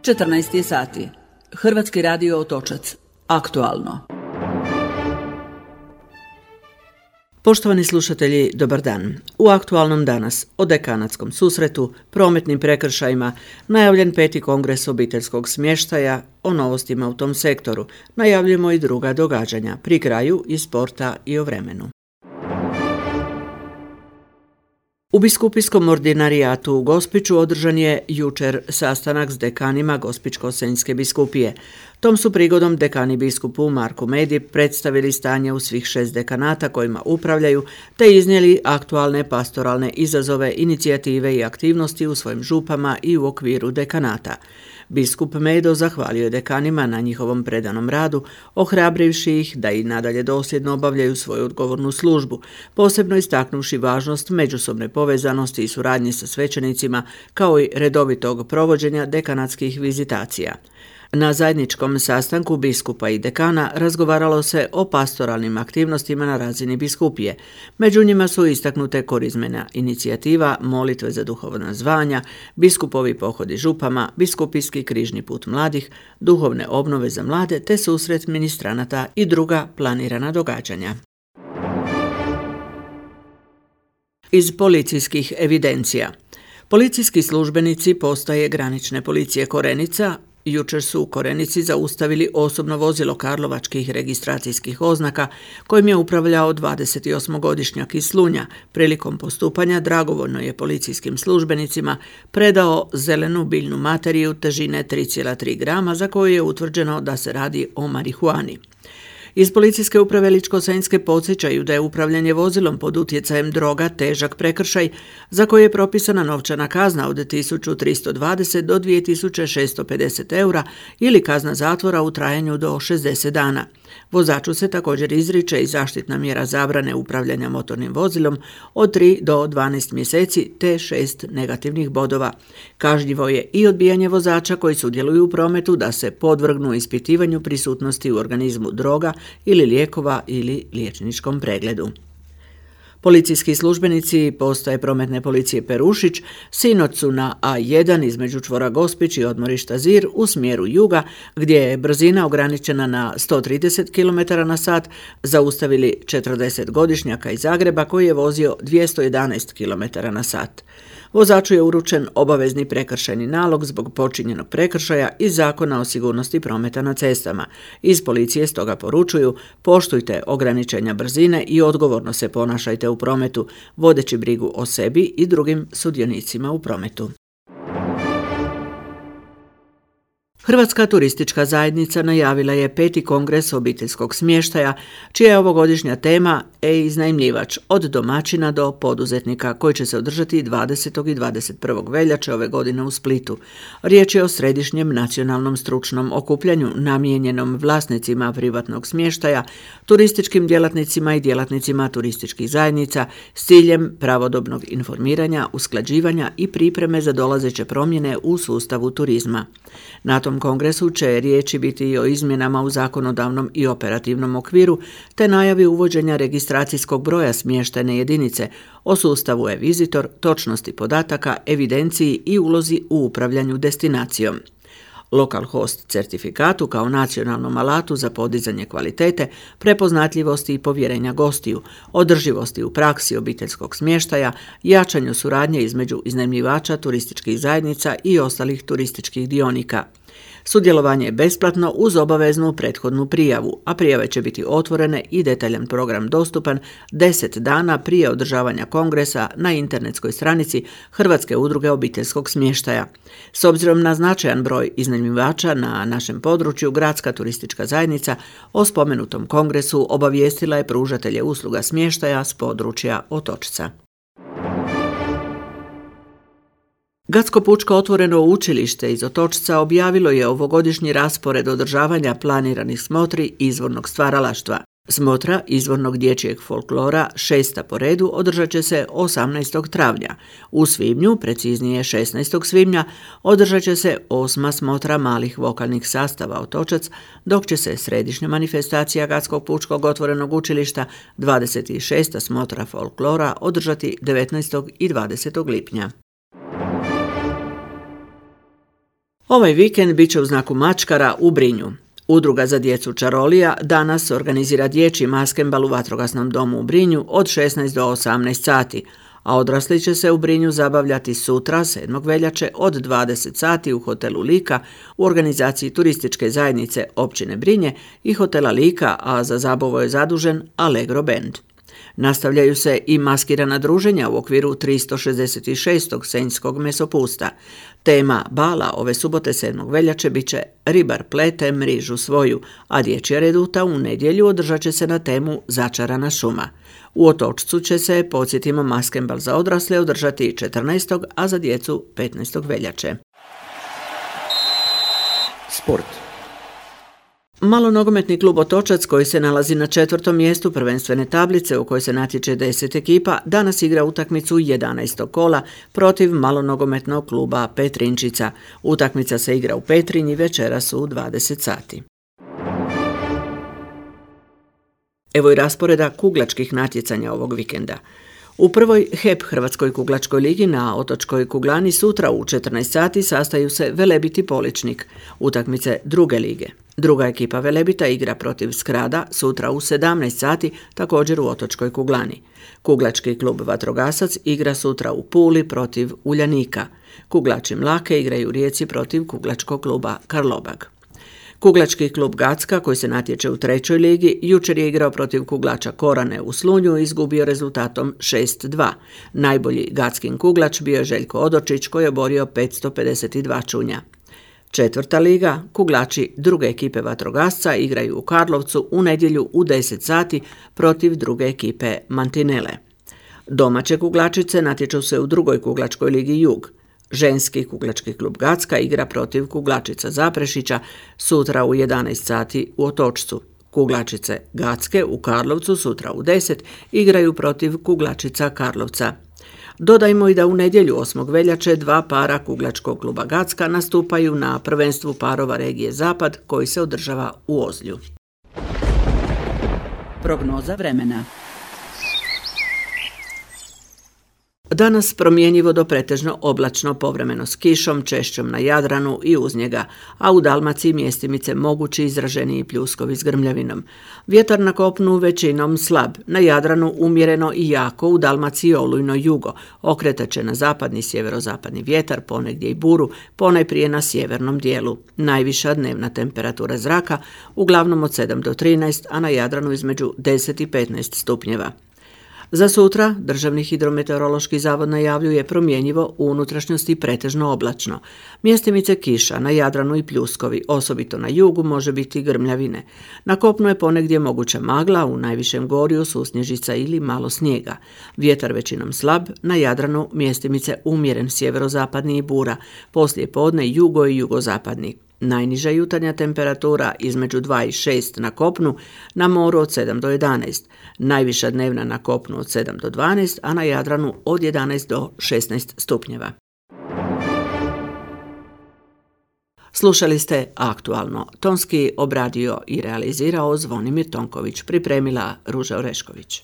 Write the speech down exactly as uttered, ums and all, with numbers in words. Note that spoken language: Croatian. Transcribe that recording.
četrnaest je sati. Hrvatski radio Otočac. Aktualno. Poštovani slušatelji, dobar dan. U aktualnom danas o dekanatskom susretu, prometnim prekršajima, najavljen peti kongres obiteljskog smještaja, o novostima u tom sektoru, najavljujemo i druga događanja, pri kraju i sporta i o vremenu. U biskupijskom ordinarijatu u Gospiću održan je jučer sastanak s dekanima Gospićko-senjske biskupije. Tom su prigodom dekani biskupu Marku Medi predstavili stanje u svih šest dekanata kojima upravljaju, te iznijeli aktualne pastoralne izazove, inicijative i aktivnosti u svojim župama i u okviru dekanata. Biskup Medo zahvalio je dekanima na njihovom predanom radu, ohrabrivši ih da i nadalje dosljedno obavljaju svoju odgovornu službu, posebno istaknuvši važnost međusobne povezanosti i suradnje sa svećenicima, kao i redovitog provođenja dekanatskih vizitacija. Na zajedničkom sastanku biskupa i dekana razgovaralo se o pastoralnim aktivnostima na razini biskupije. Među njima su istaknute korizmena inicijativa, molitve za duhovna zvanja, biskupovi pohodi župama, biskupijski križni put mladih, duhovne obnove za mlade te susret ministranata i druga planirana događanja. Iz policijskih evidencija. Policijski službenici postaje granične policije Korenica jučer su u Korenici zaustavili osobno vozilo karlovačkih registracijskih oznaka kojim je upravljao dvadesetosmogodišnjak iz Slunja. Prilikom postupanja dragovoljno je policijskim službenicima predao zelenu biljnu materiju težine tri zarez tri grama za koju je utvrđeno da se radi o marihuani. Iz policijske uprave Ličko-senjske podsjećaju da je upravljanje vozilom pod utjecajem droga težak prekršaj za koji je propisana novčana kazna od tisuću tristo dvadeset do dvije tisuće šesto pedeset eura ili kazna zatvora u trajanju do šezdeset dana. Vozaču se također izriče i zaštitna mjera zabrane upravljanja motornim vozilom od tri do dvanaest mjeseci te šest negativnih bodova. Kažnjivo je i odbijanje vozača koji sudjeluju u prometu da se podvrgnu ispitivanju prisutnosti u organizmu droga ili lijekova ili liječničkom pregledu. Policijski službenici postaje prometne policije Perušić sinoć su na A jedan između čvora Gospić i odmorišta Zir u smjeru juga, gdje je brzina ograničena na sto trideset kilometara na sat, zaustavili četrdesetgodišnjaka iz Zagreba koji je vozio dvjesto jedanaest kilometara na sat. Vozaču je uručen obavezni prekršajni nalog zbog počinjenog prekršaja iz Zakona o sigurnosti prometa na cestama. Iz policije stoga poručuju: poštujte ograničenja brzine i odgovorno se ponašajte u prometu, vodeći brigu o sebi i drugim sudionicima u prometu. Hrvatska turistička zajednica najavila je peti kongres obiteljskog smještaja, čija je ovogodišnja tema e-iznajmljivač od domaćina do poduzetnika, koji će se održati dvadesetog i dvadeset prvog veljače ove godine u Splitu. Riječ je o središnjem nacionalnom stručnom okupljanju namijenjenom vlasnicima privatnog smještaja, turističkim djelatnicima i djelatnicima turističkih zajednica s ciljem pravodobnog informiranja, usklađivanja i pripreme za dolazeće promjene u sustavu turizma. Na tom kongresu će riječi biti i o izmjenama u zakonodavnom i operativnom okviru, te najavi uvođenja registracijskog broja smještajne jedinice, o sustavu e-vizitor, točnosti podataka, evidenciji i ulozi u upravljanju destinacijom. Local host certifikatu kao nacionalnom alatu za podizanje kvalitete, prepoznatljivosti i povjerenja gostiju, održivosti u praksi obiteljskog smještaja, jačanju suradnje između iznajmljivača turističkih zajednica i ostalih turističkih dionika. Sudjelovanje je besplatno uz obaveznu prethodnu prijavu, a prijave će biti otvorene i detaljan program dostupan deset dana prije održavanja kongresa na internetskoj stranici Hrvatske udruge obiteljskog smještaja. S obzirom na značajan broj iznajmljivača na našem području, Gradska turistička zajednica o spomenutom kongresu obavijestila je pružatelje usluga smještaja s područja Otočca. Gatsko pučko otvoreno učilište iz Otočca objavilo je ovogodišnji raspored održavanja planiranih smotri izvornog stvaralaštva. Smotra izvornog dječjeg folklora, šesta po redu, održat će se osamnaestog travnja. U svibnju, preciznije šesnaestog svibnja, održat će se osma smotra malih vokalnih sastava Otočac, dok će se središnja manifestacija Gatskog pučkog otvorenog učilišta, dvadeset šesta smotra folklora, održati devetnaestog i dvadesetog lipnja. Ovaj vikend bit će u znaku mačkara u Brinju. Udruga za djecu Čarolija danas organizira dječji maskembal u vatrogasnom domu u Brinju od šesnaest do osamnaest sati, a odrasli će se u Brinju zabavljati sutra, sedmog veljače, od dvadeset sati u hotelu Lika u organizaciji turističke zajednice općine Brinje i hotela Lika, a za zabavu je zadužen Allegro Band. Nastavljaju se i maskirana druženja u okviru tristo šezdeset šestog senjskog mesopusta. Tema bala ove subote sedmog veljače bit će Ribar plete mrižu svoju, a dječja reduta u nedjelju održat će se na temu Začarana šuma. U Otočcu će se, podsjetimo, maskembal za odrasle održati četrnaestog a za djecu petnaestog veljače. Sport. Malonogometni klub Otočac, koji se nalazi na četvrtom mjestu prvenstvene tablice u kojoj se natječe deset ekipa, danas igra utakmicu jedanaestog kola protiv malonogometnog kluba Petrinčica. Utakmica se igra u Petrinji večeras u dvadeset sati. Evo i rasporeda kuglačkih natjecanja ovog vikenda. U prvoj H E P Hrvatskoj kuglačkoj ligi na Otočkoj kuglani sutra u četrnaest sati sastaju se Velebit i Poličnik, utakmice druge lige. Druga ekipa Velebita igra protiv Skrada sutra u sedamnaest sati, također u Otočkoj kuglani. Kuglački klub Vatrogasac igra sutra u Puli protiv Uljanika. Kuglači Mlake igraju u Rijeci protiv kuglačkog kluba Karlobag. Kuglački klub Gacka, koji se natječe u trećoj ligi, jučer je igrao protiv kuglača Korane u Slunju i izgubio rezultatom šest dva. Najbolji gackin kuglač bio je Željko Odočić, koji je oborio petsto pedeset dva čunja. Četvrta liga, kuglači druge ekipe Vatrogasca igraju u Karlovcu u nedjelju u deset sati protiv druge ekipe Mantinele. Domaće kuglačice natječu se u drugoj kuglačkoj ligi Jug. Ženski kuglački klub Gacka igra protiv kuglačica Zaprešića sutra u jedanaest sati u Otočcu. Kuglačice Gacke u Karlovcu sutra u deset igraju protiv kuglačica Karlovca. Dodajmo i da u nedjelju osmog veljače dva para kuglačkog kluba Gacka nastupaju na prvenstvu parova regije Zapad koji se održava u Ozlju. Prognoza vremena. Danas promjenjivo do pretežno oblačno, povremeno s kišom, češćom na Jadranu i uz njega, a u Dalmaciji mjestimice mogući izraženiji pljuskovi s grmljavinom. Vjetar na kopnu većinom slab, na Jadranu umjereno i jako, u Dalmaciji olujno jugo, okretat će na zapadni sjeverozapadni vjetar, ponegdje i buru, ponajprije na sjevernom dijelu. Najviša dnevna temperatura zraka uglavnom od sedam do trinaest, a na Jadranu između deset i petnaest stupnjeva. Za sutra Državni hidrometeorološki zavod najavljuje promjenjivo, u unutrašnjosti pretežno oblačno. Mjestimice kiša, na Jadranu i pljuskovi, osobito na jugu može biti grmljavine. Na kopnu je ponegdje moguća magla, u najvišem gorju susnježica ili malo snijega. Vjetar većinom slab, na Jadranu mjestimice umjeren sjeverozapadni i bura, poslije podne jugo i jugozapadni. Najniža jutarnja temperatura između dva i šest na kopnu, na moru od sedam do jedanaest. Najviša dnevna na kopnu od sedam do dvanaest, a na Jadranu od jedanaest do šesnaest stupnjeva. Slušali ste Aktualno. Tonski obradio i realizirao Zvonimir Tonković, pripremila Ruža Orešković.